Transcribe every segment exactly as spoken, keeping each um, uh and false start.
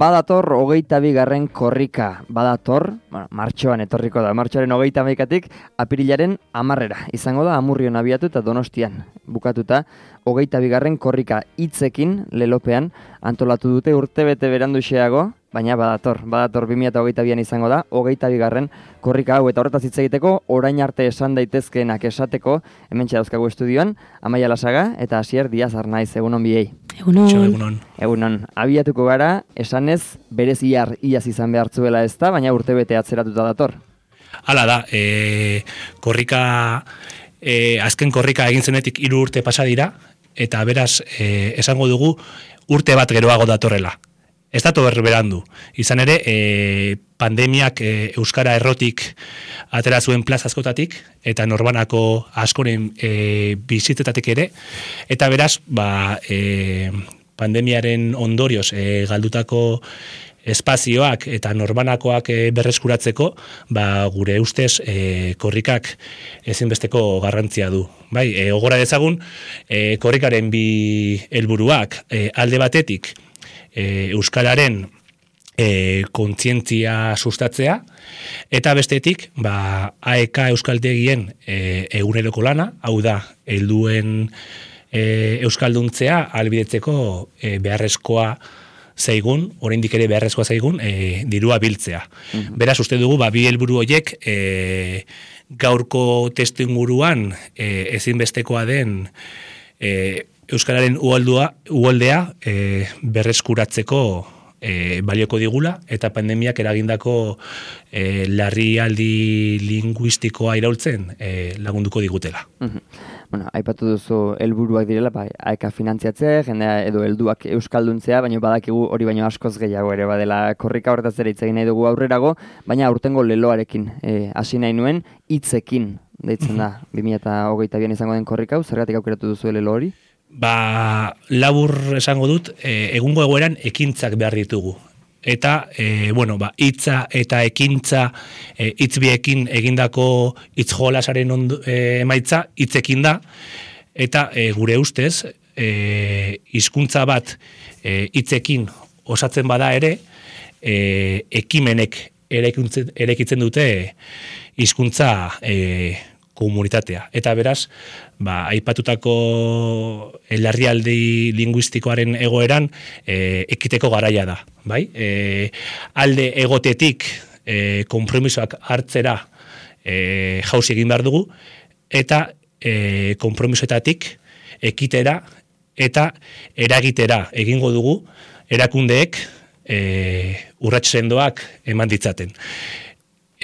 badator hogeita bigarren korrika, badator, bueno, martxoan etorriko da, martxoaren hogeita hamaikatik apirilaren hamarrera. Izango da Amurrion abiatu eta Donostian bukatuta hogeita bigarren korrika hitzekin lelopean antolatu dute urtebete beranduxeago, baina badator, badator bi mila hogeita bian izango da, hogeita bigarren korrika hau, eta horretaz hitz egiteko, orain arte esan daitezkeenak esateko, hementxe dauzkagu estudioan, Amaia Lasaga eta Asier Diaz Arnaiz, egunon biei. Egunon. Egunon. Egunon. Abiatuko gara, esanez, berez iar iaz izan behartzuela ez da, baina urtebete atzeratuta dator. Hala da, e, korrika, e, azken korrika egin zenetik hiru urte pasa dira, eta beraz, e, esango dugu, urte bat geroago datorrela. Ez dato berberandu. Izan ere, e, pandemiak e, Euskara errotik atera zuen plaza askotatik, eta norbanako askoren e, bizitzetatik ere, eta beraz, ba, e, pandemiaren ondorioz e, galdutako espazioak eta norbanakoak e, berreskuratzeko, ba, gure ustez e, korrikak ezinbesteko garrantzia du. Bai, e, ogora dezagun, e, korrikaren bi helburuak e, alde batetik, E, Euskararen e, kontzientzia sustatzea, eta bestetik, ba, A E K Euskaltegien e, eguneroko lana, hau da, helduen e, euskalduntzea ahalbidetzeko e, beharrezkoa zaigun, oraindik ere beharrezkoa zaigun, e, dirua biltzea. Mm-hmm. Beraz, uste dugu, ba, bi helburu horiek e, gaurko testuinguruan e, ezinbestekoa den e, Euskararen uholdua, uholdea e, berreskuratzeko e, balioko digula, eta pandemiak eragindako e, larrialdi linguistikoa iraultzen e, lagunduko digutela. Mm-hmm. Bueno, aipatu duzu helburuak direla, ba, A E K finantziatzea, jendea edo helduak euskalduntzea, baina badakigu hori baino askoz gehiago ere badela korrika horretaz ere hitz egin nahi dugu aurrerago, baina aurtengo leloarekin hasi nahi nuen hitzekin deitzen da bi mila hogeita bian izango den korrika hau, zergatik aukeratu duzu lelo hori? Ba, labur esango dut, e, egungo egoeran ekintzak behar ditugu. Eta, e, bueno, ba, hitza eta ekintza e, hitzbiekin egindako hitz jolasaren e, emaitza hitzekin da, eta e, gure ustez, e, hizkuntza bat e, hitzekin osatzen bada ere, e, ekimenek erekitzen dute hizkuntza e, komunitatea. Eta beraz, ba, aipatutako larrialdi linguistikoaren egoeran e, ekiteko garaia da. Bai? E, alde egotetik e, konpromisoak hartzera e, jauzi egin behar dugu, eta e, konpromisoetatik ekitera eta eragitera egingo dugu erakundeek e, urrats sendoak eman ditzaten.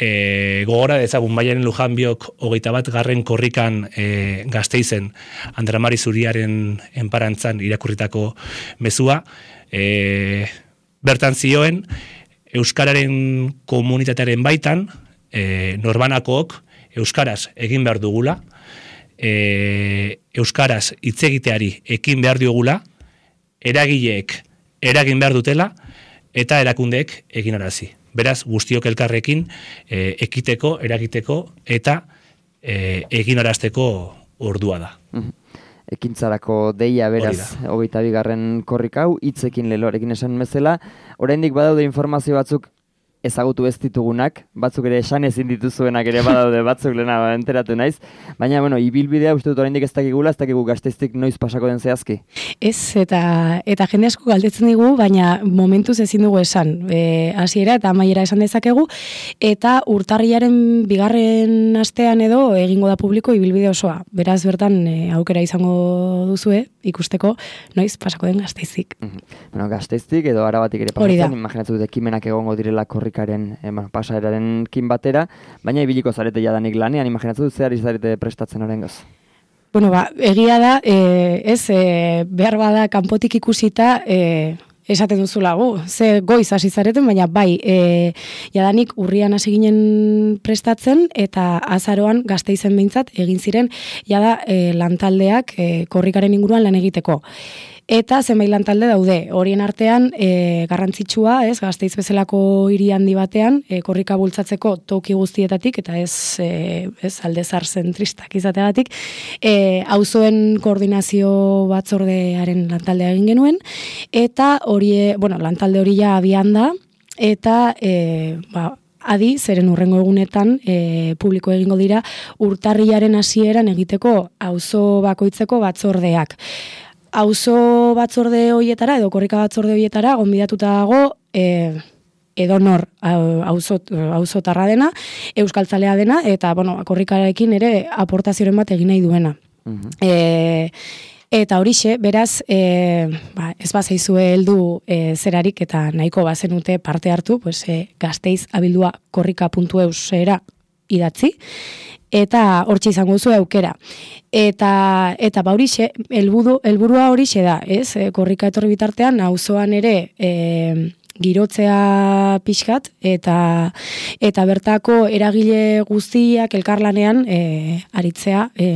E, gogora dezagun Maialen Lujanbiok hogeita bat garren korrikan e, Gasteizen Andramari Zuriaren enparantzan irakurritako mezua, e, bertan zioen Euskararen komunitatearen baitan e, norbanakook Euskaraz egin behar dugula, e, Euskaraz hitz egiteari ekin behar diogula, eragileek eragin behar dutela, eta erakundeek egin arazi. Beraz, guztiok elkarrekin e, ekiteko, eragiteko eta e, eginarazteko ordua da. Ekintzarako deia beraz, hogeita bigarren korrika hau, hitzekin leloarekin esan bezala, oraindik badaude informazio batzuk ezagutu ez ditugunak, batzuk ere esan ezin dituzuenak ere badaude, batzuk lehena enteratu naiz, baina, bueno, ibilbidea uste dut oraindik ez dakigula, ez dakigu Gasteiztik noiz pasako den zehazki. Ez, eta eta jende asko galdetzen digu, baina momentuz ezin dugu esan, e, hasiera eta amaiera esan dezakegu, eta urtarrilaren bigarren astean edo egingo da publiko ibilbide osoa. Beraz, bertan e, aukera izango duzue, ikusteko noiz pasako den Gasteiztik. Mm-hmm. Bueno, Gasteiztik edo Arabatik ere pasatzen, imaginatzen dut ekimenak egongo direla korrikaren eh, pasaeraren kin batera, baina ibiliko zarete jadanik lanean, imaginatzen dut zehar izarete prestatzen oraingoz. Bueno, ba, egia da, e, ez, e, behar bada kanpotik ikusita, e, esaten duzula gu, ze goiz hasi zareten, baina bai, e, jadanik urrian hasi ginen prestatzen, eta azaroan Gasteizen behintzat egin ziren, jada e, lantaldeak e, korrikaren inguruan lan egiteko. eta zenbait lantalde daude. Horien artean e, garrantzitsua, ez, Gasteiz bezalako hiri handi batean, e, korrika bultzatzeko toki guztietatik eta ez e, ez aldezar zentristak izateagatik, e, auzoen koordinazio batzordearen lantaldea egin genuen eta hori, bueno, lantalde hori ja abian da eta e, ba adi, zeren urrengo egunetan e, publiko egingo dira urtarrilaren hasieran egiteko auzo bakoitzeko batzordeak. Auzo batzorde hoietara edo korrika batzorde hoietara gonbidatuta dago e, edonor auzo auzotarra dena, euskaltzalea dena eta bueno, korrikarekin ere aportazioren bat egin nahi duena. Uh-huh. E, Eta horixe, beraz, e, ba, ez bazaizue heldu e, zerarik eta nahiko bazenute parte hartu, pues, e, Gasteiz abildua korrika puntu eus era idatzi, eta hortxe izango zu aukera. Eta, eta ba horixe, helburua horixe da, ez? E, korrika etorri bitartean, auzoan ere e, girotzea pixkat, eta, eta bertako eragile guztiak elkarlanean e, aritzea, e,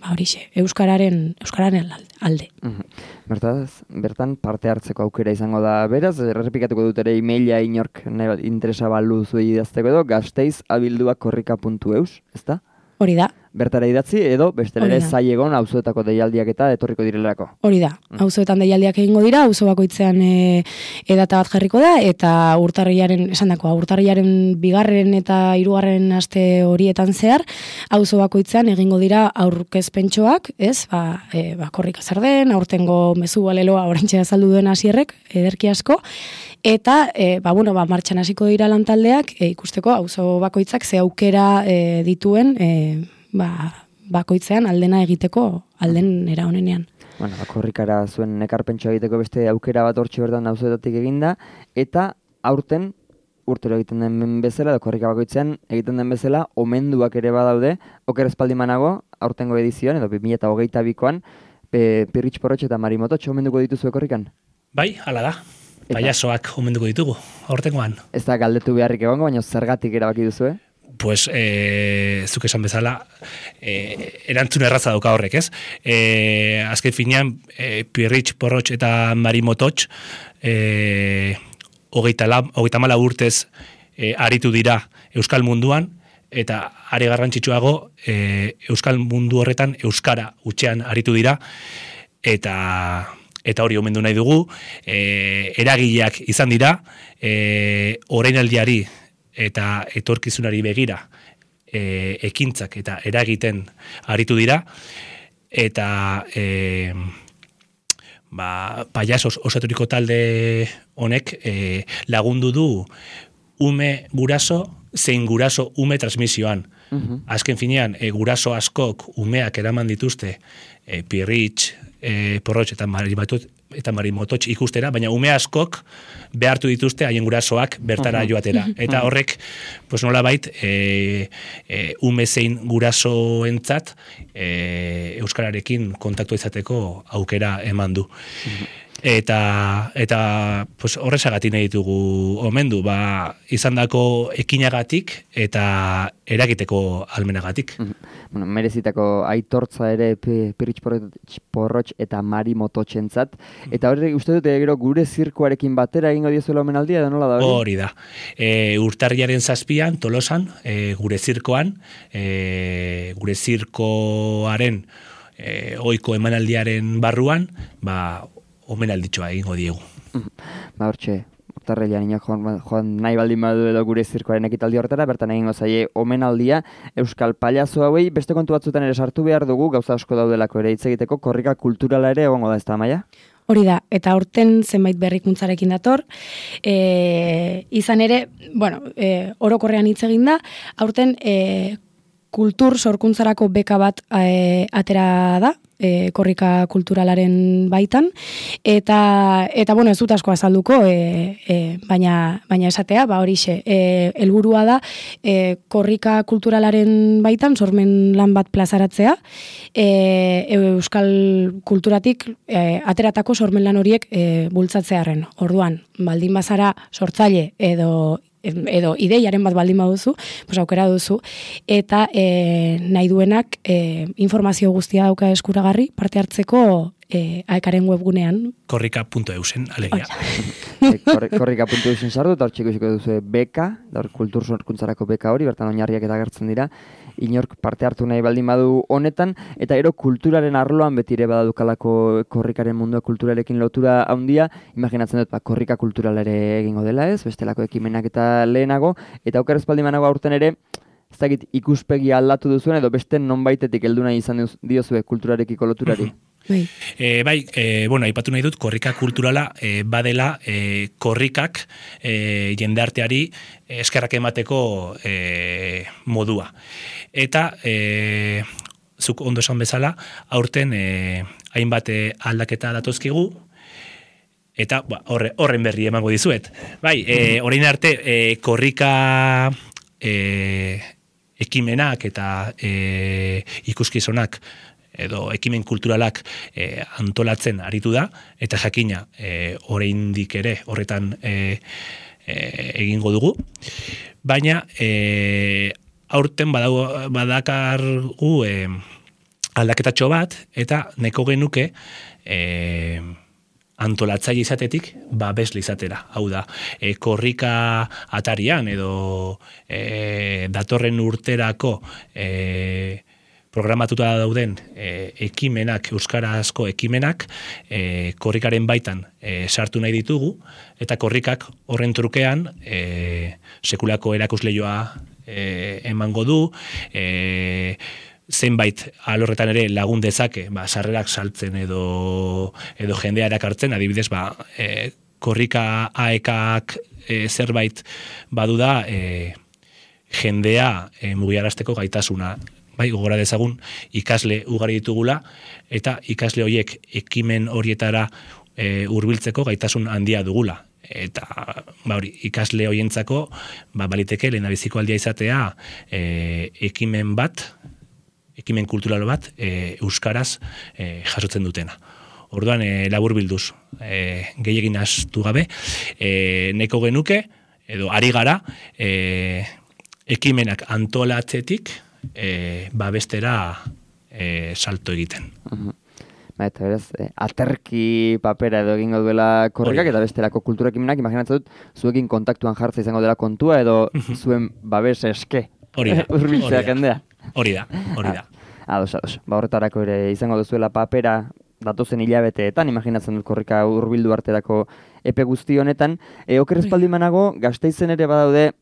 horixe, euskararen euskararen alde. Uh-huh. Bertaz, bertan parte hartzeko aukera izango da. Beraz, errepikatuko dut ere emaila inork interesa balu zuei idazteko edo gasteiz abildua korrika puntu eus, ezta? Hori da. Bertara idatzi edo bestelere zailegon auzoetako deialdiak eta etorriko direlako. Hori da. Auzoetan deialdiak egingo dira, auzo bakoitzean e, edata bat jarriko da eta urtarrilaren, esandakoa, urtarrilaren bigarren eta hirugarren aste horietan zehar, auzo bakoitzean egingo dira aurkezpentxoak, ez? Ba, e, ba korrika zer den, aurtengo mezu baleloa oraintxe azaldu duen hasierrek, ederki asko. Eta, e, ba, bueno, ba, martxan hasiko dira lantaldeak, e, ikusteko auzo bakoitzak ze aukera e, dituen, e, ba, bakoitzean aldena egiteko alden era honenean. Bueno, ba, korrikara zuen ekarpentxoa egiteko beste aukera bat hortxe bertan auzoetatik eginda, eta aurten urtero egiten den bezala, edo korrika bakoitzean egiten den bezala, omenduak ere badaude, oker espaldimanago, aurtengo edizioan, edo bi mila hogeita bikoan, Pirritx Porrotx eta Mari Mototx omenduko dituzue korrikan? Bai, hala da. Paiasoak omenduko ditugu, aurtengoan. Ez da galdetu beharrik egongo, baina zergatik erabaki duzu, eh? Pues, e, zuk esan bezala, e, erantzun erraza dauka horrek, ez? E, azken finean, e, Pirritx Porrotx eta Mari Mototx, e, hogeita mala urtez e, aritu dira Euskal munduan, eta are garrantzitsuago, e, Euskal mundu horretan Euskara utxean aritu dira, eta... eta hori omendu nahi dugu, e, eragileak izan dira, e, orainaldiari eta etorkizunari begira e, ekintzak eta eragiten aritu dira, eta e, ba, paiasos osaturiko talde honek e, lagundu du ume guraso, zein guraso ume transmisioan. Uh-huh. Azken finean, e, guraso askok umeak eraman dituzte e, Pirritx, E, Porrotx eta Mari Mototx eta Mari Mototx ikustera, baina ume askok behartu dituzte haien gurasoak bertara uh-huh. joatera. Eta horrek, pues nolabait, e, e, ume zein gurasoentzat e, euskararekin kontaktua izateko aukera eman du. Uh-huh. Eta, eta pues, horrezagatik nahi ditugu omendu, ba, izandako ekinagatik eta eragiteko almenagatik. Bueno, merezitako aitortza ere Pirritx Porrotx eta Mari Mototxentzat. Eta hori uste dute gero gure zirkoarekin batera egingo diezuela omenaldia edo nola da hori? Hori da. E, urtarriaren zazpian, Tolosan, e, gure zirkoan, e, gure zirkoaren e, ohiko emanaldiaren barruan, ba, omenalditxoa egingo diegu. Ba, hortxe, urtarrilean ino joan, joan nahi baldin badu edo gure zirkoaren ekitaldi horretara, bertan egingo zaie omenaldia Euskal Pailazo hauei, beste kontu batzutan ere sartu behar dugu, gauza asko daudelako ere hitz egiteko, korrika kulturala ere egongo da, ez da, Maia? Hori da, eta aurten zenbait berrikuntzarekin dator, e, izan ere, bueno, e, orokorrean hitz egin da, aurten e, kultur sorkuntzarako beka bat e, atera da, E, korrika kulturalaren baitan, eta, eta bueno, ez dut asko azalduko, e, e, baina, baina esatea, ba horixe, e, helburua da, e, korrika kulturalaren baitan, sormen lan bat plazaratzea, e, euskal kulturatik e, ateratako sormen lan horiek e, bultzatzearen. Orduan, baldin bazara sortzaile edo edo ideiaren bat baldin baduzu, pues aukera duzu, eta e, nahi duenak e, informazio guztia dauka eskuragarri parte hartzeko e, aekaren webgunean. korrika puntu eusen, alegia. e, korrika puntu eusen sartu, eta hor txiko iziko duzu beka, da hor kultur sorkuntzarako beka hori, bertan oinarriak eta agertzen dira, inork parte hartu nahi baldin badu honetan, eta ero kulturaren arloan betire badadukalako korrikaren mundua kulturarekin lotura handia, imaginatzen dut, ba, korrika kulturalare egingo dela ez, bestelako ekimenak eta lehenago, eta aukera espaldi manago aurten ere, ez dakit ikuspegi aldatu duzuen, edo beste nonbaitetik heldu nahi izan diozue kulturarekiko loturari. Bai, e, bai e, bueno, aipatu nahi dut, korrika kulturala e, badela e, korrikak e, jendarteari eskerrak emateko e, modua. Eta, e, zuk ondo esan bezala, aurten e, hainbat aldaketa datozkigu, eta ba, horre, horren berri emango dizuet. Bai, e, orain arte e, korrika e, ekimenak eta e, ikuskizunak edo ekimen kulturalak e, antolatzen aritu da, eta jakina e, oraindik ere horretan e, e, egingo dugu. Baina e, aurten badago, badakargu e, aldaketatxo bat, eta neko genuke e, antolatzaile izatetik babesle izatera. Hau da, e, korrika atarian edo e, datorren urterako e, programatuta dauden e, ekimenak, euskarazko ekimenak, e, korrikaren baitan e, sartu nahi ditugu, eta korrikak horren trukean e, sekulako erakusleioa e, emango du, e, zenbait alorretan ere lagun dezake, ba, sarrerak saltzen edo, edo jendea erakartzen, adibidez, ba, e, korrika aekak e, zerbait badu da e, jendea e, mugiarazteko gaitasuna. Bai, gogora dezagun ikasle ugari ditugula, eta ikasle horiek ekimen horietara e, hurbiltzeko gaitasun handia dugula. Eta ba, hori, ikasle horientzako ba, baliteke lehendabiziko aldia izatea e, ekimen bat, ekimen kultural bat, e, euskaraz e, jasotzen dutena. Orduan, e, labur bilduz, e, gehiagin astu gabe, e, neko genuke, edo ari gara, e, ekimenak antolatzetik, E, babestera e, salto egiten. Uh-huh. Ba, eta beraz, e, aterki papera edo egingo duela korrikak, eta bestelako kulturakimenak, imaginatzen dut, zuekin kontaktuan jartza izango dela kontua, edo zuen babes eske. Hori da, urbiltzea jendea. Hori da, hori da. Ados, ados. Ba, horretarako ere izango duzuela papera datozen hilabeteetan, imaginatzen dut korrika hurbildu arterako epe guzti honetan. E, oker espaldi manago, Gasteizen ere badaude,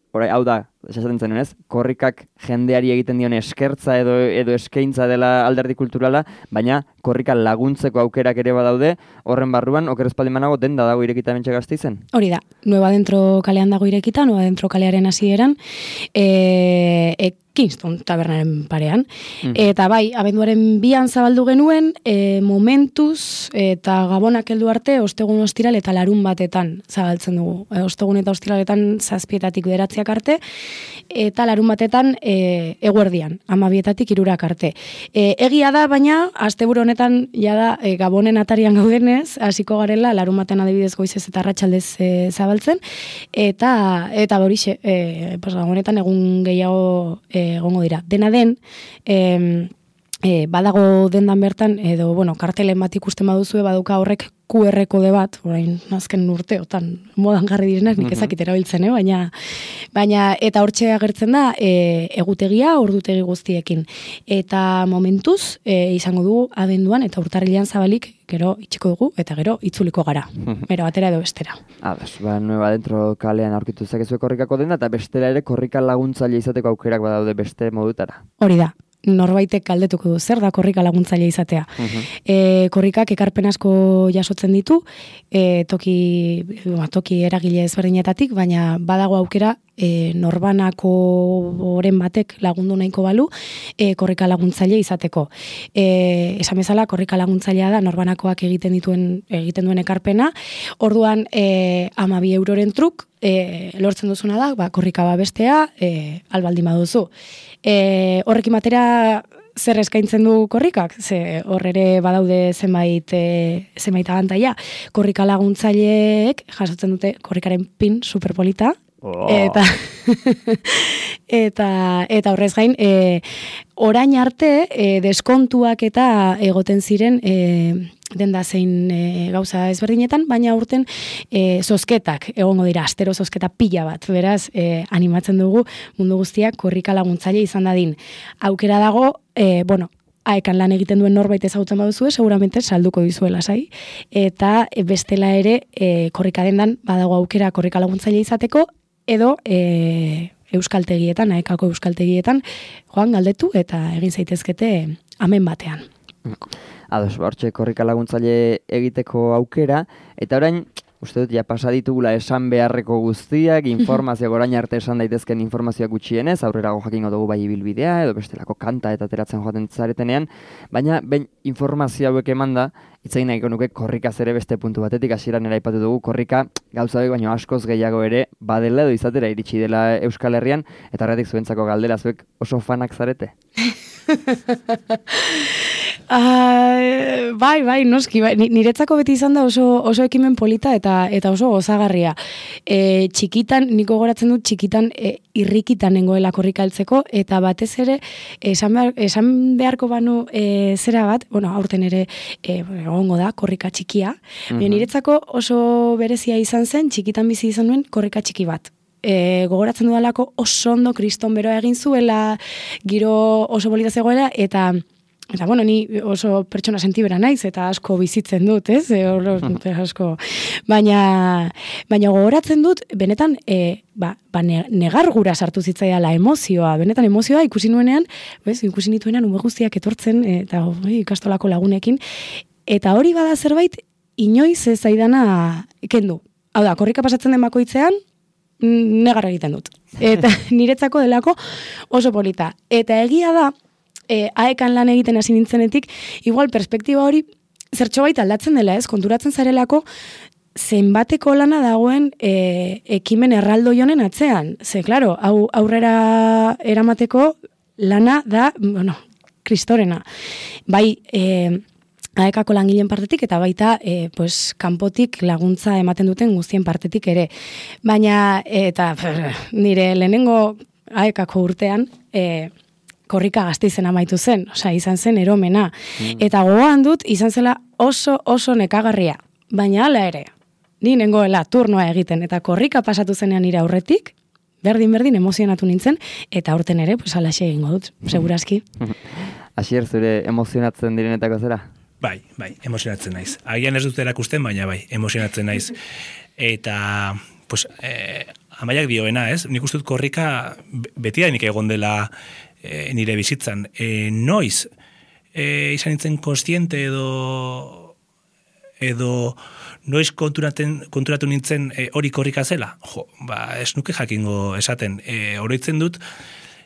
Horai, hau da, esaten zen ez, korrikak jendeari egiten dion eskertza edo edo eskaintza dela alderdi kulturala, baina korrika laguntzeko aukerak ere badaude, horren barruan, oker espaldi manago, denda dago irekita bentsa Gasteizen? Hori da, Nueva Dentro kalean dago irekita, Nueva Dentro kalearen hasieran, e, e, Kingston tabernaren parean. Mm. Eta bai, abenduaren bian zabaldu genuen, e, momentuz eta gabonak heldu arte, ostegun ostiral eta larun batetan zabaltzen dugu. E, ostegun eta ostiraletan zazpietatik bederatziak arte, eta larun batetan e, eguerdian, amabietatik irurak arte. E, egia da, baina, asteburu honetan, jada, e, gabonen atarian gaudenez, hasiko garela, larun batean adibidez goizez eta arratsaldez e, zabaltzen, eta, eta borixe, e, pues, gabonetan egun gehiago e, egongo dira. Dena den, e, e, badago dendan bertan, edo, bueno, kartelen bat ikusten baduzue, baduka horrek Q R kode bat, orain azken urteotan modan jarri direnak, nik ezakit erabiltzen, eh? baina, baina eta hortxe agertzen da e, egutegia, ordutegi guztiekin. Eta momentuz, e, izango dugu abenduan eta urtarrilean zabalik, gero itxiko dugu eta gero itzuliko gara. Bero batera edo bestera. Ados, ba, Nueva Dentro kalean aurkitu zakezue korrikako denda, eta bestela ere korrika laguntzaile izateko aukerak badaude beste modutara. Hori da. Norbaitek galdetuko du, zer da korrika laguntzaile izatea. Uh-huh. E, korrikak ekarpen asko jasotzen ditu, e, toki, ba, toki eragile ezberdinetatik, baina badago aukera e, norbanako oren batek lagundu nahiko balu e, korrika laguntzaile izateko. E, esan bezala, korrika laguntzailea da norbanakoak egiten dituen egiten duen ekarpena, orduan e, amabi euroren truk, E, lortzen duzuna da, ba, korrika babestea, e, albaldin baduzu. E, horrekin batera zer eskaintzen du korrikak? Ze horrere badaude zenbait, e, zenbait abantaia. Korrika laguntzaileek jasotzen dute korrikaren pin superpolita, Oh. Eta, eta, eta horrez gain, e, orain arte e, deskontuak eta egoten ziren e, denda zein e, gauza ezberdinetan, baina urten e, zozketak, egongo dira, astero zozketa pila bat, beraz, e, animatzen dugu mundu guztiak korrika laguntzaile izan dadin. Aukera dago, e, bueno, aekan lan egiten duen norbait ezagutzen baduzue, seguramente salduko dizuela sai. Eta e, bestela ere, e, korrika dendan badago aukera korrika laguntzaile izateko, edo e, euskaltegietan, aekako euskaltegietan, joan galdetu eta egin zaitezkete amen batean. Ados, hortxe korrika laguntzaile egiteko aukera, eta orain, uste dut, ja pasa ditugula esan beharreko guztiak, informazioak orain arte esan daitezken informazioak gutxienez, aurrerago jakingo dugu bai ibilbidea, edo bestelako kanta eta ateratzen joaten zaretenean, baina ben informazio hauek emanda, itzain nahiko nuke korrikaz ere beste puntu batetik, hasieran ere aipatu dugu, korrika gauza hauek baino askoz gehiago ere badela edo izatera iritsi dela Euskal Herrian, eta horretik zuentzako galdera, zuek oso fanak zarete? Uh, bai, bai, noski, bai. Niretzako beti izan da oso, oso ekimen polita eta eta oso gozagarria. E, txikitan, niko goratzen dut, txikitan e, irrikitan nengoela korrika heltzeko, eta batez ere, esan, behar, esan beharko banu e, zera bat, bueno, aurten ere e, egongo da, korrika txikia. Uh-huh. Niretzako oso berezia izan zen, txikitan bizi izan nuen korrika txiki bat. E, gogoratzen dudalako oso ondo kriston beroa egin zuela, giro oso bolita zegoela, eta Eta, bueno, ni oso pertsona sentibera naiz, eta asko bizitzen dut, ez? E, or, asko. Baina, baina gogoratzen dut, benetan, e, ba, ba negar gura sartu zitzaiala emozioa, benetan emozioa ikusi nuenean, bez, ikusi nituenean ume guztiak etortzen, eta oi, ikastolako lagunekin, eta hori bada zerbait, inoiz ez zaidana kendu. Hau da, korrika pasatzen den bakoitzean, negar egiten dut. Eta niretzako delako oso polita. Eta egia da, E, aekan lan egiten hasi nintzenetik, igual perspektiba hori zertxo baita aldatzen dela, ez? Konturatzen zarelako zenbateko lana dagoen e, ekimen erraldo jonen atzean. Ze, klaro, hau aurrera eramateko lana da, bueno, kristorena. Bai, e, aekako langileen partetik, eta baita, e, pues, kanpotik laguntza ematen duten guztien partetik ere. Baina, eta nire lehenengo aekako urtean, e, korrika Gasteizen amaitu zen, osea, izan zen eromena. Mm. Eta gogoan dut, izan zela oso oso nekagarria. Baina hala ere, ni nengoela turnoa egiten, eta korrika pasatu zenean nire aurretik, berdin-berdin emozionatu nintzen, eta aurten ere, pues alaxe egingo dut, segurazki. Asier, zure emozionatzen direnetako zera? Bai, bai, emozionatzen naiz. Agian ez dut erakusten, baina bai, emozionatzen naiz. Eta, pues, eh, amaiak dioena, ez? Nik uste dut korrika beti da nik egon dela E, nire bizitzan. E, noiz e, izan nintzen konstiente edo edo noiz konturaten, konturatu nintzen e, hori korrika zela. Jo, ba, ez nuke jakingo esaten. E, oroitzen dut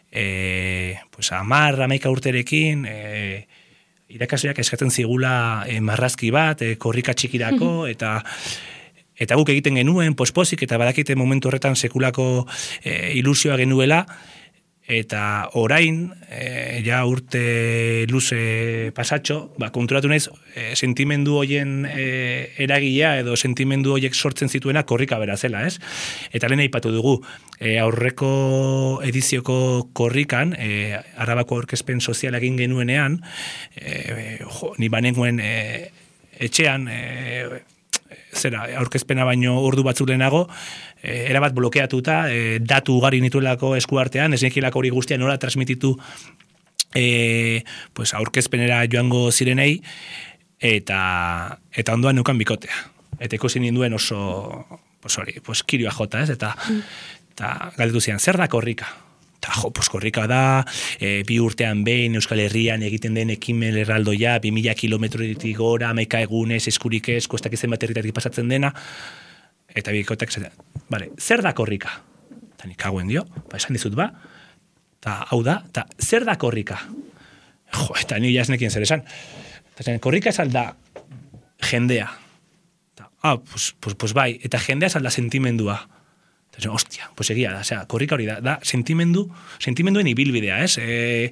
e, pues, amar, amaika urterekin e, irakasleak eskatzen zigula e, marrazki bat, e, korrika txikirako, eta eta guk egiten genuen pospozik, eta badakite momentu horretan sekulako e, ilusioa genuela. Eta orain, e, ja urte luze pasatxo, ba, konturatu naiz, e, sentimendu hoien e, eragilea edo sentimendu hoiek sortzen zituena korrika bera zela, ez? Eta lehen aipatu dugu, e, aurreko edizioko korrikan, e, Arabako aurkezpen soziala egin genuenean, e, jo, ni banengoen e, etxean, e, zera, aurkezpena baino ordu batzuk lehenago, e, erabat blokeatuta, e, datu ugari nituelako eskuartean, ez nekilako hori guztia nola transmititu e, pues, aurkezpenera joango zirenei, eta, eta ondoan neukan bikotea. Eta ikusi ninduen oso, pues hori, pues, kirioa jota, ez? Eta, eta galdetu zian, zer da korrika? Eta jo, pues, korrika da, e, bi urtean behin Euskal Herrian egiten den ekimen erraldoia, bi mila kilometroetik gora, amaika egunez, eskurik ez, kostak izen bat herritatik pasatzen dena, eta bikotek, vale, zer da korrika? Eta nik hauen dio, ba, esan dizut ba, eta hau da, eta zer da korrika? Jo, eta ni jasnekien zer esan. Eta zen, korrika esan da jendea. Eta, ah, pues, pues, pues bai, eta jendea esan da sentimendua. Eta, hostia, pues egia da, osea, korrika hori da, da sentimendu, sentimenduen ibilbidea, ez? E,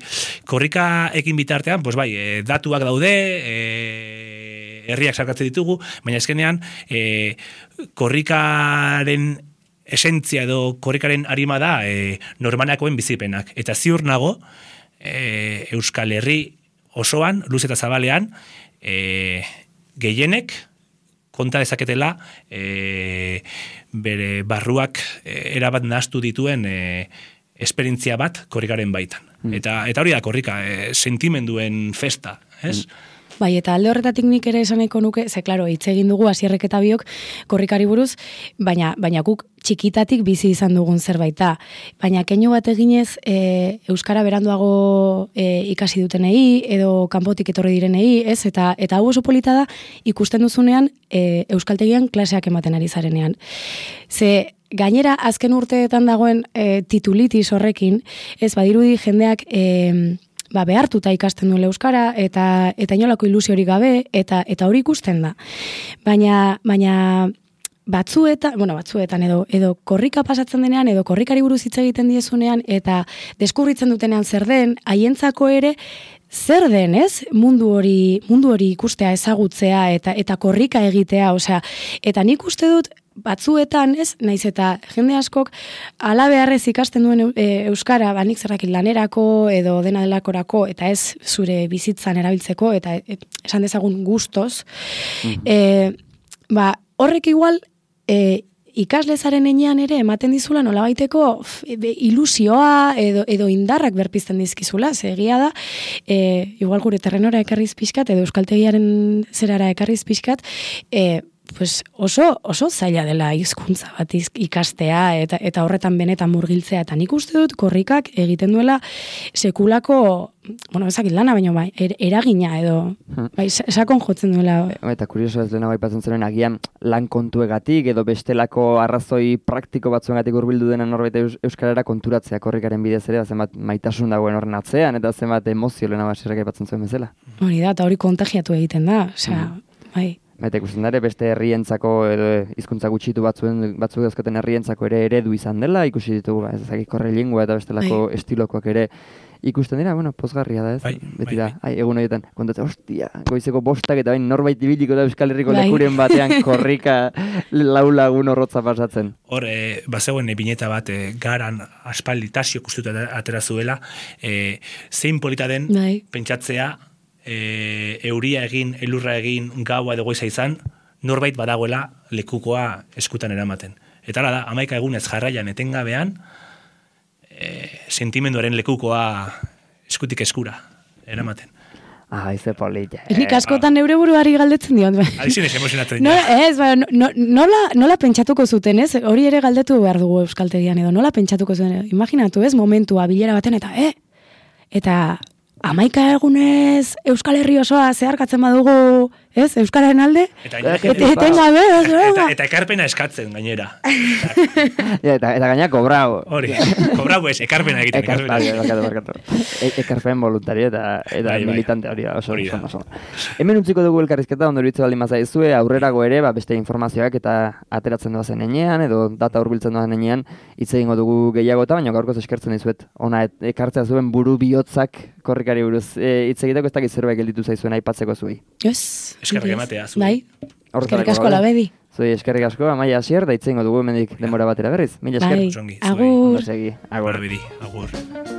korrika ekin bitartean, pues bai, e, datuak daude, e, herriak sarkatzen ditugu, baina ezkenean, e, korrikaren esentzia edo korrikaren arima da e, normanakoen bizipenak. Eta ziur nago, e, Euskal Herri osoan, luz eta zabalean, e, gehienek konta dezaketela e, bere barruak e, erabat nahaztu dituen e, esperientzia bat korrikaren baitan. Mm. Eta, eta hori da korrika, e, sentimenduen festa, ez? Mm. Bai, eta alde horretatik nik ere esaneko nuke, ze, klaro, hitz egin dugu Hasierrek eta biok korrikari buruz, baina, baina guk txikitatik bizi izan dugun zerbait da. Baina keinu bat eginez, e, Euskara beranduago e, ikasi dutenei, edo kanpotik etorri direnei, ez? Eta, eta hau oso polita da, ikusten duzunean, e, euskaltegian klaseak ematen ari zarenean. Ze, gainera, azken urteetan dagoen e, titulitis horrekin, ez badirudi jendeak e, ba, behartuta ikasten duela euskara eta eta inolako ilusiorik gabe eta eta hori ikusten da. Baina baina batzuetan, bueno, batzuetan edo edo korrika pasatzen denean edo korrikari buruz hitz egiten diezunean eta deskubritzen dutenean zer den, haientzako ere zer den, ez? Mundu hori, mundu hori ikustea, ezagutzea eta eta korrika egitea, osea, eta nik uste dut batzuetan, ez, naiz eta jende askok ala beharrez ikasten duen e, euskara, ba nik zerrakin lanerako edo dena delakorako eta ez zure bizitzan erabiltzeko eta e, esan dezagun gustoz, mm-hmm. e, ba horrek igual e, ikaslezaren enean ere ematen dizula nolabaiteko ilusioa edo, edo indarrak berpizten dizkizula, ze egia da, e, igual gure terrenora ekarriz pixkat edo euskaltegiaren zerara ekarriz pixkat, e, pues oso, oso zaila dela hizkuntza bat ikastea eta eta horretan benetan murgiltzea eta nik uste dut korrikak egiten duela sekulako, bueno, ezakit lana baino bai, er, eragina edo bai, sakon jotzen duela. Eta kurioso ez lehena baipatzen zuen agian lan kontuegatik edo bestelako arrazoi praktiko batzuengatik hurbildu dena norbait eus, euskarara konturatzea korrikaren bidez ere, zenbat maitasun dagoen horren atzean eta zenbat emozio lehena basirrak aipatzen zuen bezala. Hori da, eta hori kontagiatu egiten da, osea, mm. bai. Eta ikusten dara, beste herrientzako edo hizkuntza gutxitu batzuen batzuk dauzkaten herrientzako ere eredu izan dela, ikusi ditugu, ez ezakik korrelingua eta bestelako bai. Estilokoak ere ikusten dira, bueno, pozgarria da, ez? Bai, beti bai, da, bai. ai, egun horietan, kontatzen, ostia, goizeko bostak eta bain norbait ibiliko da Euskal Herriko bai. Lekuren batean korrika lau lagun horrotza pasatzen. Hor, e, bazegoen e, bineta bat, e, garan aspaldi tasio kustuta atera zuela, e, zein polita den bai. Pentsatzea, E, euria egin, elurra egin, gaua edo goiza izan, norbait badagoela lekukoa eskutan eramaten. Eta hala da, hamaika egunez jarraian etengabean, e, sentimenduaren lekukoa eskutik eskura eramaten. Ah, ize polilla. Eh, Nik askotan neure buruari galdetzen diot. Aizinez emozionatzen no, ez, ba, no, nola, nola pentsatuko zuten, ez? Hori ere galdetu behar dugu euskaltegian edo, nola pentsatuko zuten, imaginatu, ez, momentua, bilera baten, eta, eh? Eta hamaika egunez Euskal Herri osoa zeharkatzen badugu, ez, Euskararen alde? Eta, etengabe, eta, eta ekarpena eskatzen gainera. ja, eta, eta gaina kobrau. Hori, kobrau ez, ekarpena egiten. Ekar, barkatu, barkatu. E, ekarpen voluntario eta, eta bai, militante hori da, oso, hori da. oso, oso. Hemen utziko dugu elkarrizketa, ondo iruditzen baldin bazaizue, aurrerago ere, ba, beste informazioak eta ateratzen doazen enean, edo data hurbiltzen doazen enean, hitz egingo dugu gehiago eta baina gaurkoz eskertzen dizuet. Ona, ekartzea zuen buru bihotzak korrikari buruz hitz e, egiteko ez dakit zerbait gelditu zaizuen aipatzeko zuei. Yes. Eskerrik ematea zu. Bai. Eskerrik asko labedi. Zuei eskerrik asko, Amaia Asier, da hitz egingo dugu hemendik denbora batera berriz. Mila esker. Bai. Agur. Agur. Agur. Agur.